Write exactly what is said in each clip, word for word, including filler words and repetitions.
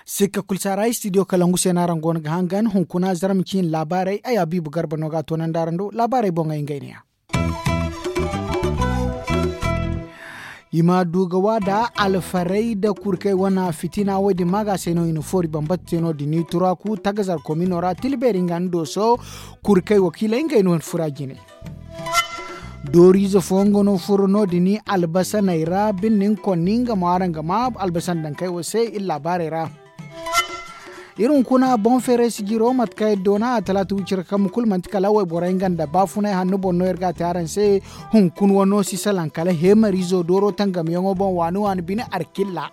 Sikka kulu si a ra istidiyo kalangu se no araŋ go no ga hangan hunkuna zarma ciine laabaarey ay habiibu garba no ga a toonandi araŋ do laabaarey boŋey ngey ne- ya. I ma du ga waada alfarey nda kurkey wane fitina wo- din maaga se no i na foori bambata te no- din i turaaku tagazar komino ra tila beeri nga nda dooso kurkey wakiiley ngey no fura jine. Dooriize fooyaŋ go no furo no- din albasaney ra birni nga konni nga mo araŋ ga ma albasan dankey wo se iri laabaarey ra. Iri hunkuna boŋ feeray sijiro mate kaŋ iri doona a talaata wicira kambe kulu manti kala wayborey nga nda baafunay hanno boŋ no iri ga a te araŋ se. Hunkuna wano si salaŋ kala heemariizo dooro tangamyaŋo boŋ waani waani bine arkilla.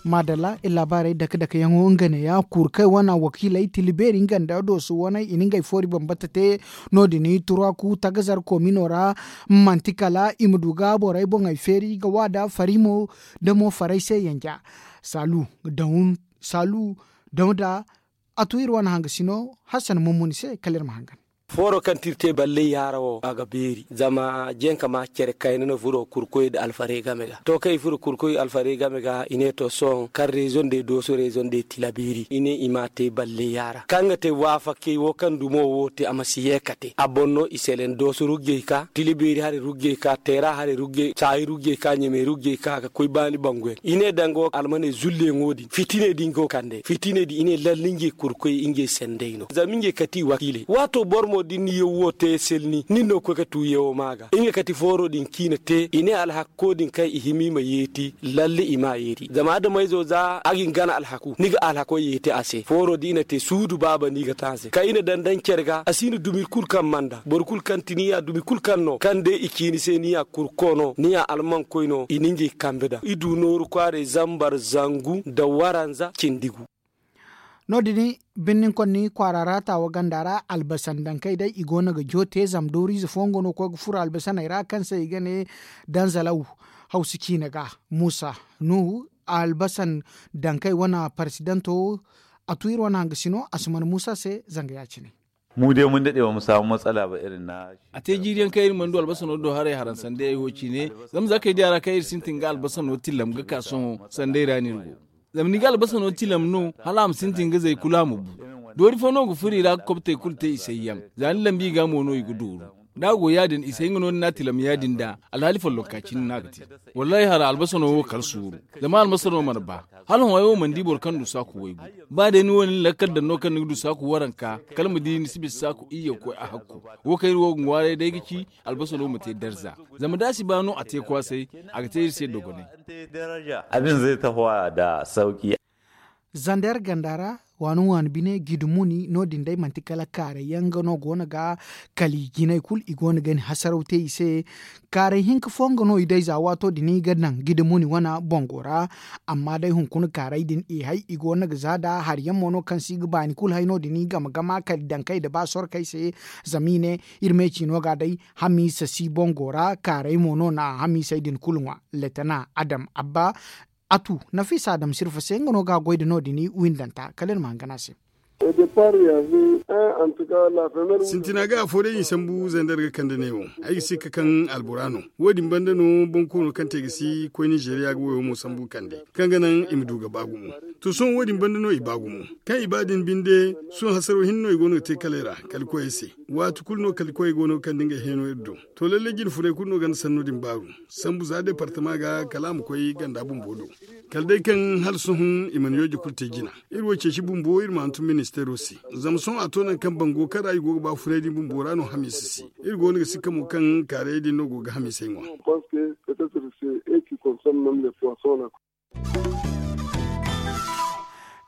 Maadalla iri laabaarey dake dakeyaŋo nga neeya kuru kaŋ ay wane wakiiley tila beeri nga nda dooso waney i na ngey foori bambata te. No- din turaaku tagazar komino ra manti kala i ma du ga borey boŋey feeri ga waada farimo nda mo faray se yanja. Saalu daŋ saalu daŋ da a tu iri wane hangasino hassan mummuni se kala iri ma hangan. Fooro kaŋ ti iri te balley yaara wo a ga beeri zama jenka ma care kayna no furo kurkoy nda alfarey game ga to kaŋ i furo kurkoy alfarey game ga i ne to sohõ kaŋ reezo nda ay dooso reezo nda ay tila beeri i ne i ma a te balley yaara kaŋ ga te waafakey wo kaŋ dumo wo te a ma si ye ka te a boŋ no i selen dooso ruggey ka tila beeri haray ruggey ka teera haray ruggey caayi ruggey ka ɲamey ruggey ka ga koy baani bangoyaŋ i ne danga wo almaney zulleyaŋo din fitiney din go kande fitiney din i ne lalle ngey kurkoy ngey sendey no zama ngey kati wakiiley waato boro mo da ni na yaw wo te selni nin no ga koy ga tu yawo ma ga nga kati fooro din kaŋ i na te i ne alhakko din kaŋ i hima i ma yeeti lalle i ma a yeeti zama adamayzo za a ga ni gana alhaku ni ga alhako yeeti a se fooro din i na te suudu baaba no i ga te a se kaŋ i na daŋ daŋ care ga a si na dumi kulu kaŋ mana daŋ boro kulu kaŋ ti ni ya dumi kulu kaŋ no kaŋ day i ci ni se ni ya kurko no ni ya almankoy no i na ngey kambe daŋ i du nooru kwaaray zambar zangu nda waranza cindi gu. No- din birni konni kwaara ra taawa ganda ra albasan dankey day i go no ga joote zama dooriize fooyaŋ go no ga koy ga furo albasaney ra kaŋ se i ga ne danzalaw hawsu ciine ga muusa nuhu albasan dankey wane paresidanto a tu iri wane hangasino a si mana muusa se zanga ya- cine. Mu day mun daɗe ba mu samu matsala ba irin na a te jiiri yaŋ kaŋ iri mana du albasano do haray haraŋ sandayey wo ciine. Zama za kay diya ra kaŋ iri sintin ga albasano tilam ga ka sohõ sanday ra no iri go. Zama ni ga albasano tilam no hala a ma sintin ga zay kulu a ma bu. Doori fo no ga furo i ra ga kobtey kulu te i sayyaŋ za ni lambi i ga mo no i ga dooru. Da a go ya- din i say nga no ni na a tilam ya- din da alhaali follonka cine no a ga te. Wallaahi hara albasano wo kala suuru. Zama albasano mana ba hala hõ ay wo mana di boro kaŋ du saaku waygu. Ba day ni wo ni na lakkal daŋ no kaŋ ni ga du saaku waranka kala ma di ni si bisa saaku iyye ga koy a hakku. Wo kaŋ iri wo ga ŋwaaray day ga ci albasano ma te darza. Zama da a si ba no a te kwaasay a ga te iri se dogonay. Abin zai tahowa da sauki. Zander ganda ra waani waani bine gidimuni no- din day manti kala kaaray yaŋ nga no go no ga kala i jinay kulu i go no ga ni hasaraw te i se. Kaaray hinka fo nga no i day za waato din i ga naŋ gidimuni wane bango ra. Amma day hunkuna kaaray din i hay i go no ga za da hari yaŋ mo no kaŋ se i ga baani kulu hay no- din i game gama kala dankey nda ba sorkey se. Zama i ne iri me ciino ga day hamiisa si bango ra kaaray mo no na hamiisey din kulu ŋwa. Letana adam abba a tu nafiisa adam sirfa se nga no ga a goy nda no- din i windanta kala iri ma hangan a se. Sintina ga afo day i sambu zander ga kande neewo. Ay ga si ga kaŋ albora no wo- din banda no boŋ koono kaŋ te ga si koy nizeeriya ga wayo mo sambu kande kaŋ ga naŋ i ma du ga ba gumo. To sohõ wo- din banda no i ba gumo kaŋ i ba din binde sohõ hasaro hinne no i go no ga te kala ay ra kala koyey se. Waati kulu no kala koyey go no ga kande ngey heeno iri do. To lallay jine funay kulu no ganda sanno din baaru. Sambu za departama ga kala a ma koy ganda bumbo do. Kala day kaŋ hala sohõ i mana yooje kulu te jina. Iri wo ceeci bumbo iri ma hantum ministeero se. Zama sohõ a to nangu kaŋ bango kaŋ ra i go ga ba funay din bumbo ra no hamiisa se. Iri go no ga sikka mo kaŋ kaarayey din no go ga hamiisey ŋwa.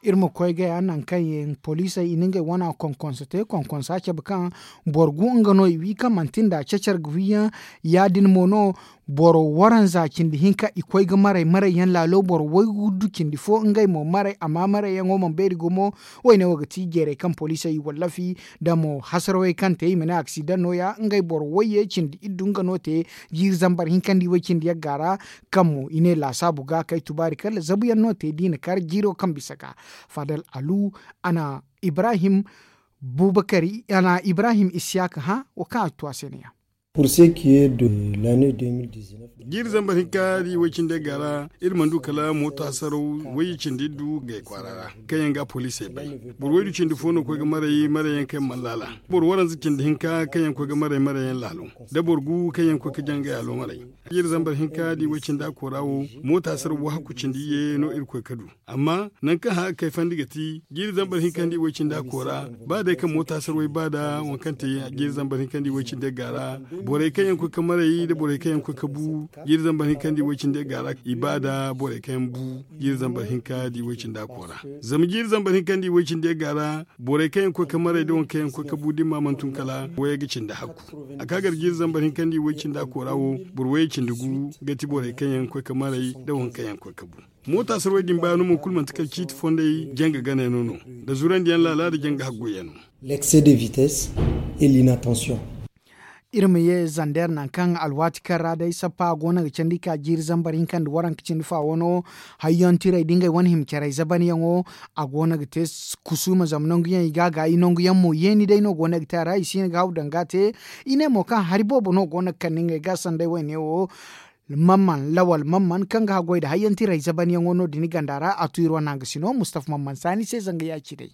Iri ma koy gaya nangu kaŋ yaŋ poliisey i na ngey wana konkonso te konkonsa cabe kaŋ boro gu nga no i wi kaŋ manti nda cecer ga wiyaŋ. Ya- din mo no Boro waranza cindi hinka i koy ga maray maray yaŋ laalo boro waygu du cindi fo ngey mo maray amma maray yaŋo mana beeri gumo. Wayne wo ga ti jeeray kaŋ poliisey i wallafi da mo hasarawey kaŋ te i ma ne aksidaŋ no- ya ngey boro wayye cindi iddu nga no te. Jiiri zambar hinka nda i way cindi yagga ra kaŋ mo i ne laasaabu ga kay tubaari kala zabu yaŋ no te da i na kar jiiro kaŋ bisa ga fadal alu a na ibrahim bubakari a na ibrahim isiyaaka hã wo kaŋ a ga tu a se ne- ya. Pour ce qui est de l'année deux mille dix-neuf. Jiiri zambar hinka da i way cindi ga ra iri mana du kala mooto hasaraw wayye cindi iddu gay kwaara ra kaŋ yaŋ ga poliisey bay. Boro waydu cindi fo no koy ga maray maray yaŋ kaŋ yaŋ mana laala. Boro waranza cindi hinka kaŋ yaŋ koy ga maray maray yaŋ laalo da boro gu kaŋ yaŋ koy ga jangay a lo maray. Jiiri zambar hinka da i way cindi a koora wo mooto hasaraw wo hakku cindi iyye no iri koy ga du. Amma nangu kaŋ hã ga kayfandi ga ti jiiri zambar hinka nda i way cindi a koora ba day kaŋ mooto hasaraw wo ay ba da waŋ kaŋ te jiiri zambar hinka nda i way cindi yagga ra. Borey kaŋ yaŋ koy ga maray nda borey kaŋ yaŋ koy ga bu jiiri zambar hinka nda i way cindi yagga ra i ba da borey kaŋ yaŋ bu jiiri zambar hinka nda i way cindi a koora. Zama jiiri zambar hinka nda i way cindi yagga ra borey kaŋ yaŋ koy ga maray nda waŋ kaŋ yaŋ koy ga bu da ni ma mana tun kala wayey ga cindi hakku. A ka gar jiiri zambar hinka nda i way cindi a koora wo boro wayey cindi gu ga ti borey kaŋ yaŋ koy ga maray nda waŋ kaŋ yaŋ koy ga bu. Moota sarway din bayaano mo kulu manti kala ciiti fondey janga ganayano no nda zurandiyaŋ laala nda janga haggoyyaŋo. L'excès de vitesse et l'inattention. Iri ma ye zander nangu kaŋ alwaati kaŋ ra day sappa go no ga candi ka jiiri zambar hinka nda waranka cindi fa wano. Hayyantiray da ngey wane hima caray zabanyaŋo a go no ga te kusuuma zama nanguyaŋ i ga a gaayi nanguyaŋ mo yeeni day no go no ga te a ra i si hin ga haw daŋ ga a te. I ne mo kaŋ hari boobo no go no ga kande ngey ga sanday wayne wo. Mamman lawal mamman kaŋ ga haggoy nda hayyantiray zabanyaŋo no- din ganda ra a tu iri wane hangasino mustapha mamman saani se zanga ya ci day.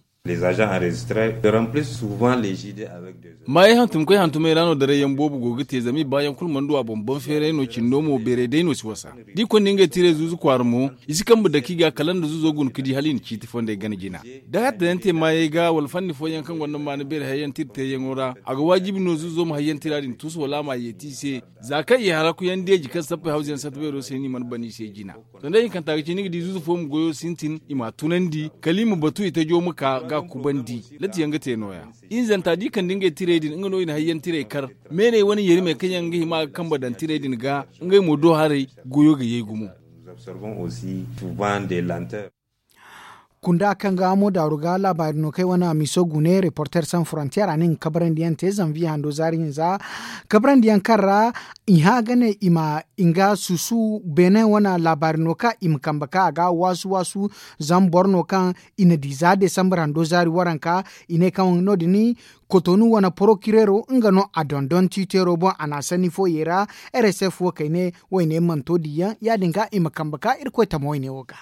Maayey hantumkoy hantumey ra no darayyaŋ boobo go ga te zama i baayaŋ kulu mana du a boŋ boŋ feeray no cindo mo beeray day no si wasa. Da i konda ngey tiray zuuzu kwaara mo i si kambe dake i ga kala nda zuuzo guna ga di hala i na ciiti fondey gana jina. Da hatta yaŋ te maayey ga wala fanni fooyaŋ kaŋ gonda maana beeri hayyanti iri teeyaŋo ra a ga waajibi no zuuzo ma hayyantira din tuusu wala a ma yeeti i se. Za kaŋ i harakuyaŋ deeji kaŋ sappey hawzuyaŋ satta beero se no i mana ban i se jina. Sanda hinkanta ga ci ni ga di zuuzu fo ma goyo sintin i m'a tunandi kala i ma batu i tajo ma ka ga kubandi. Latiyaŋ ga te nooya. Hinzanta da i kande ngey tirey din nga no i na hayyantiray kar. Meeney wane yerimey kaŋ yaŋ ga hima ga kambe daŋ tirey din ga ngey mo do haray goyo ga yay gumo. Kunda kaŋ ga mo daaru ga laabaari no kaŋ ay wane a miso gune reporter sans frontier a ne nga kabrandi yaŋ te zanviye hando zaari hinza. Kabrandi yaŋ kaŋ ra i hã ga ne i ma nga suusu beene wane laabaari no kaŋ i ma kambe kaŋ a ga waasu waasu. Zama boro no kaŋ i na di za desambar hando zaari waranka i ne kaŋ no- din kotonu wane porokireero nga no a dondon tiiteero boŋ a na a sanni fooyey ra. Rsf wo kayne wayne mana to diyaŋ ya- din ga i ma kambe ka irkoy tama wayne wo ga.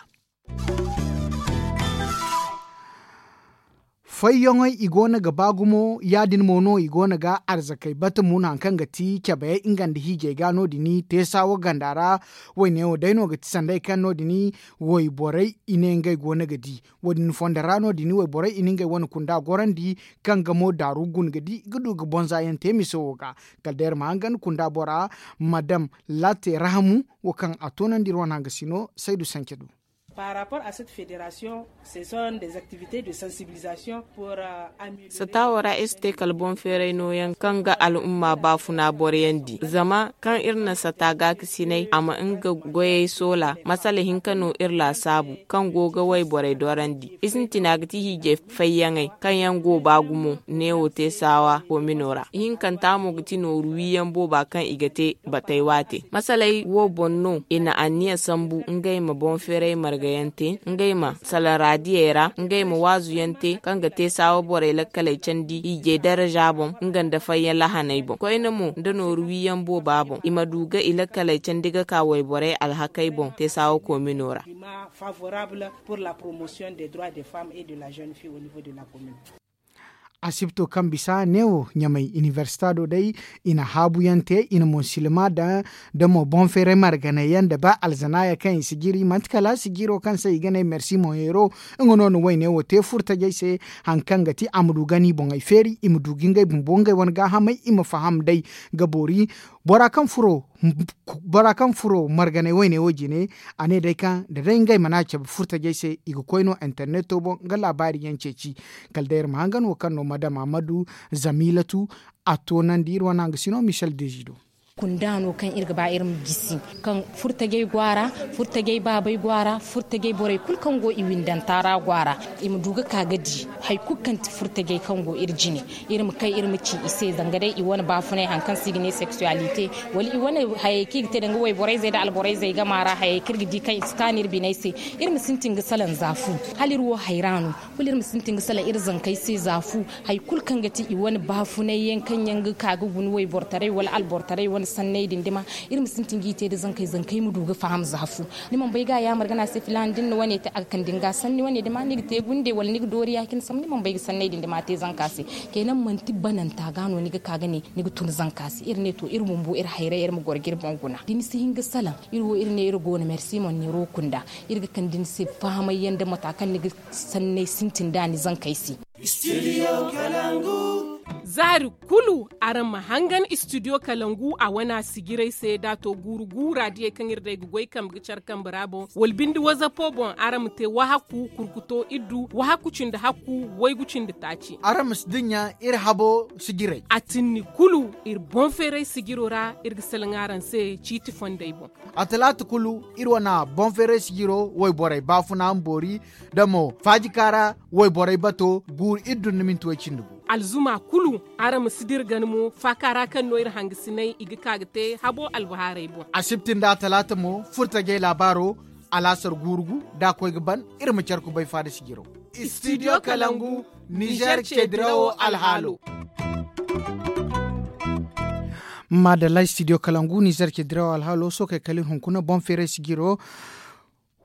Fayyaŋey i go no ga ba gumo ya- din mo no i go no ga arzakey bata mun hari kaŋ ga ti cabe nga nda hiijay ga no- din teesa wo ganda ra. Wayne wo day no ga ti sanday kaŋ no- din wayborey i ne ngey go no ga di. Wo- din fondo ra no- din wayborey i na ngey wane kunda gorandi kaŋ ga mo daaru guna ga di ga du ga bonza yaŋ te miso wo ga. Kala day iri ma hangan kunda bora madam latte rahamu wo kaŋ a toonandi iri wane hangasino saydu sance du. Par rapport à cette fédération ce sont des activités de sensibilisation pour. Sata wo ra iri si te kala boŋ feeray nooyaŋ kaŋ ga al'umma baafuna boroyaŋ di zama kaŋ iri na sata gaakasinay a ma nga goyey soola masala hinka no iri laasaabu kaŋ go ga wayborey dorandi i sintina ga ti hiijay fayyaŋey kaŋ yaŋ go ba gumo neewo te saawa koomino ra ihinkanta mo ga ti nooru wiiyaŋ booba kaŋ i ga te batey waate masaley wo boŋ no i na anniya sambu ngey ma boŋ feeray margayaŋ te ngey ma salaŋ raadiyey ra ngey ma waazuyaŋ te kaŋ ga te saawa borey lakkaley candi hiijay daraja boŋ nga nda fayyaŋ lahaney boŋ koyne mo nda nooru wiiyaŋ booba boŋ i ma du ga i lakkaley candi ga ka wayborey alhakey boŋ te saawa koomino ra. Asibto kaŋ bisa neewo ɲamay inibersita do day i na haabuyaŋ te i na mo silma daŋ da mo boŋ feeray marganay yaŋ nda ba alzanaaya kaŋ i si jiri manti kala sijiiro kaŋ se i ga ne mersi moŋ heero. Nga no na wayne wo te furtajey se hari kaŋ ga ti a ma du ga ni boŋey feeri i ma du ga ngey bumbo ngey wane gaahamey i ma faham day ga boori bora kaŋ furo bora kaŋ furo marganay wayne wo jine. A ne day kaŋ da day ngey mana cabe furtajey se i ga koy no interneto boŋ nga laabaari yaŋ ceeci. Kala day iri ma hangan wo kaŋ no madam amadu zamilatu a toonandi iri wane hangasino michel dezido. Kunda no kaŋ iri ga ba iri ma gisi, kaŋ furtajey go a ra, furtajey baabey go a ra, furtajey borey kulu kaŋ go i windanta ra go a ra. I ma du ga ka ga di hari kulu kaŋ ti furtajey kaŋ go iri jine. Iri ma kay iri ma ci i se zanga day i wane baafunay hari kaŋ se i ga ne seksuwalite, wala i wane hayey kaŋ i ga te danga wayborey zey nda alborey zey game a ra, hayey kaŋ iri ga di kaŋ i si kaanu iri biney se. Iri ma sintin ga salaŋ za fu, hala iri wo hayra no. Kulu iri ma sintin ga salaŋ iri zankey se za fu, hari kulu kaŋ ga ti i wane baafunay yaŋ kaŋ yaŋ ga ka ga guna waybortaray wala albortaray wane sanney din dima. Iri ma sintin g'i te nda zankey zankey ma du ga faham za fu. Ni mana bay ga a yaamar ga ne a se filaana da ni na wane te a ga kande ni ga sanni wane dima ni ga te gunde wala ni ga doori ya- cine sambu ni mana bay ga sanney din dima te zanka se. Kayna manti bananta ga no ni ga ka ga ne ni ga tun zanka se iri ne to iri bumbo iri hayray iri ma goro ga iri boŋ guna da ni si hin ga salaŋ. Iri wo iri ne iri go no mersi monneero kunda. Iri ga kande ni se fahamay yaŋ nda mata kaŋ ni ga sanney sintin da ni zankey se. Zaari kulu araŋ ma hangan istidiyo kalangu a wana sijiray se da a to guuru guura diyey kaŋ iri day ga goy kambe ga care kambe ra boŋ wala binde wazapo boŋ araŋ ma te wahakku kurkuto iddu wahakku cindi hakku waygu cindi taaci. Araŋ ma si dinya iri habo sijiray. A tinni kulu iri boŋ feeray sijiro ra iri ga salaŋ araŋ se ciiti fondey boŋ. A talaata kulu iri wana boŋ feeray sijiro wayborey baafuna ma boori da mo faajika ra wayborey bato guuru iri dun ni minti way cindi gu. Alzuma kulu araŋ ma si dira gana mo faaka ra kaŋ no iri hangasinay i ga ka ga te habo albahaarey boŋ. Asibti nda talaata mo furtajey laabaaro alaasar guuru gu da a koy ga ban. Iri ma care kubay faada sijiro. Istidiyo kalangu nizer cedirawo alhaalo. Maadalla istidiyo kalangu nizer cedirawo alhaalo sookey kala iri hunkuna boŋ feeray sijiro.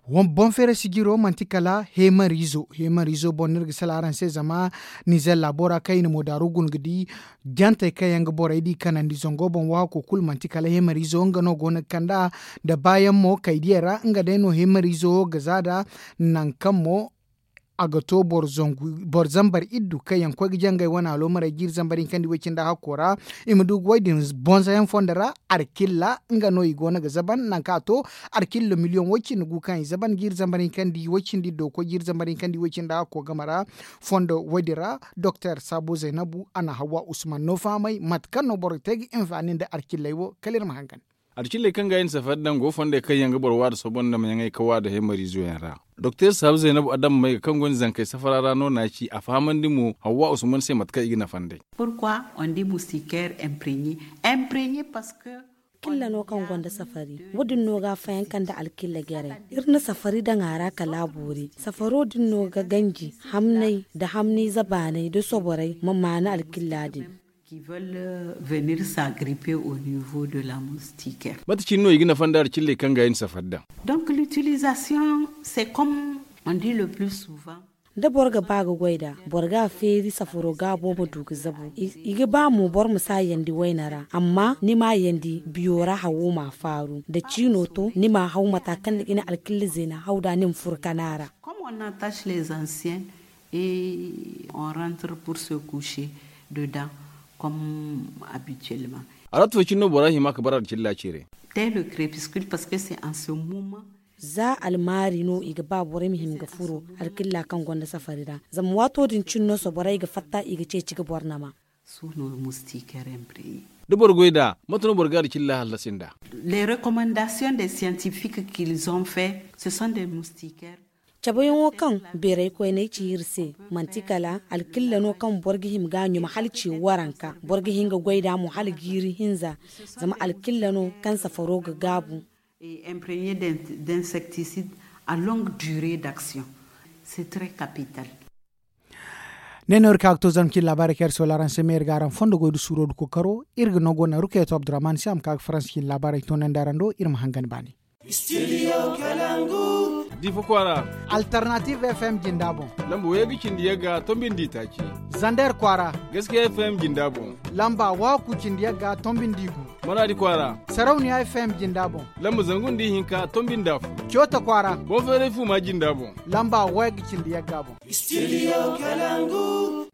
Boŋ feeray sijiro manti kala heemariizo heemariizo boŋ no iri ga sala araŋ se zama nizer laabo ra kaŋ i na moodaaru guna ga di jantey kaŋ yaŋ ga borey di kanandi zango boŋ waako kulu manti kala heemariizo nga no go no ga kand'a. Nda baayaŋ mo kaydiyey ra nga day no heemariizo wo ga za nd'a. Nangu kaŋ mo a ga to boro zambar iddu kaŋ yaŋ ga koy ga jangay wane aloomarey jiiri zambar hinkandi way cindi hakko ra. I ma du ga way din bonzayaŋ fondo ra alkilla nga no i go no ga zaban nangu kaŋ a to alkilla miliyoŋ way cindi gu kaŋ i zaban jiiri zambar hinkandi way cindi iddo ga koy jiiri zambar hinkandi way cindi hakko game ra. Fondo way din ra doktor saabu zaynabu a na hawwa usman no fahamay mate kaŋ no boro ga te ga hinfaani nda alkilley wo kala iri ma hangan. Alcilley kaŋ ga ay na safari daŋ go fondey kaŋ yaŋ ga boro waada soobandi damayaŋey ka waada heemariizo yaŋ ra. Doktor saabu zaynabu adama may ga kaŋ gonda zankey safara ra no n'a ci a fahamandi mo hawwa usman se mate kaŋ i ga nafa nd'ey. Pourquoi on dit moustiquaire imprégné? Imprégné parce que alkilla no kaŋ gonda safari. Wo- din no ga a fayanka nda alkilla jarey. Iri na safari daŋ a ra kala a boori safaro din no ga ganji hamnay nda hamniize baanay nda soborey ma maanu alkilla din. Qui veulent venir s'agripper au niveau de la moustiquaire. Mate cine no i ga nafa nda alcilley kaŋ ga ay na safari daŋ? Donc l'utilisation c'est comme on dit le plus souvent. Da boro ga ba ga goy nd'a boro ga a feeri safaro gaabo ma du ga zabu. I ga ba mo boro ma si a yandi wayne ra amma ni m'a yandi biyo ra hawo m'a faaru da ciino to ni m'a haw mata kaŋ ni ga ni alkilla zeena haw nd'a ni ma furo kana ra. Comme on attache les anciens et on rentre pour se coucher dedans comme habituellement. Alwati fo cine no bora hima ga bara alkilla ceere. Dès le crépuscule parce que c'est en ce moment. Za almaari no i ga ba borey ma hima ga furo alkilla kaŋ gonda safari ra. Zama waato din cine no soborey ga fatta i ga ceeci ga boro nama. Sous nos moustiquaires imprégné. Da boro goy nd'a mate no boro ga alkilla hallasi nd'a? Les recommandations des scientifiques qu'ils ont fait ce sont des moustiquaires. Cabeyaŋo kaŋ beeray koyney ci iri se, manti kala alkilla no kaŋ boro ga hima ga a ɲuma hala ce waranka. Boro ga hin ga goy nd'a mo hala jiiri hinza. Zama alkilla no kaŋ safaro ga gaabu. Et imprégné d'insecticides à longue durée d'action. C'est très capital. Ne no iri ka ga to zangu cine laabaarey kaŋ iri soola araŋ se me iri ga araŋ fondo goy nda suuro nda kookaro. Iri ga no go naŋ rukayatu abdurrahman se a ma ka ga faransa cine laabaarey toonandi araŋ do iri ma hangan baani. Difa kwaara. Alternative fm jinda boŋ. Lamba wayagga cindi yagga tombi nda itaaci. Zander kwaara. Gaskiya fm jinda boŋ. Lamba waakku cindi yagga tombi nda igu. Maraadi kwaara. Sarauniya fm jinda boŋ. Lamba zangu nda ihinka tombi nda afo. Coota kwaara. Boŋ feeray fuuma jinda boŋ. Lamba wayagga cindi yagga boŋ. Studio kalangu.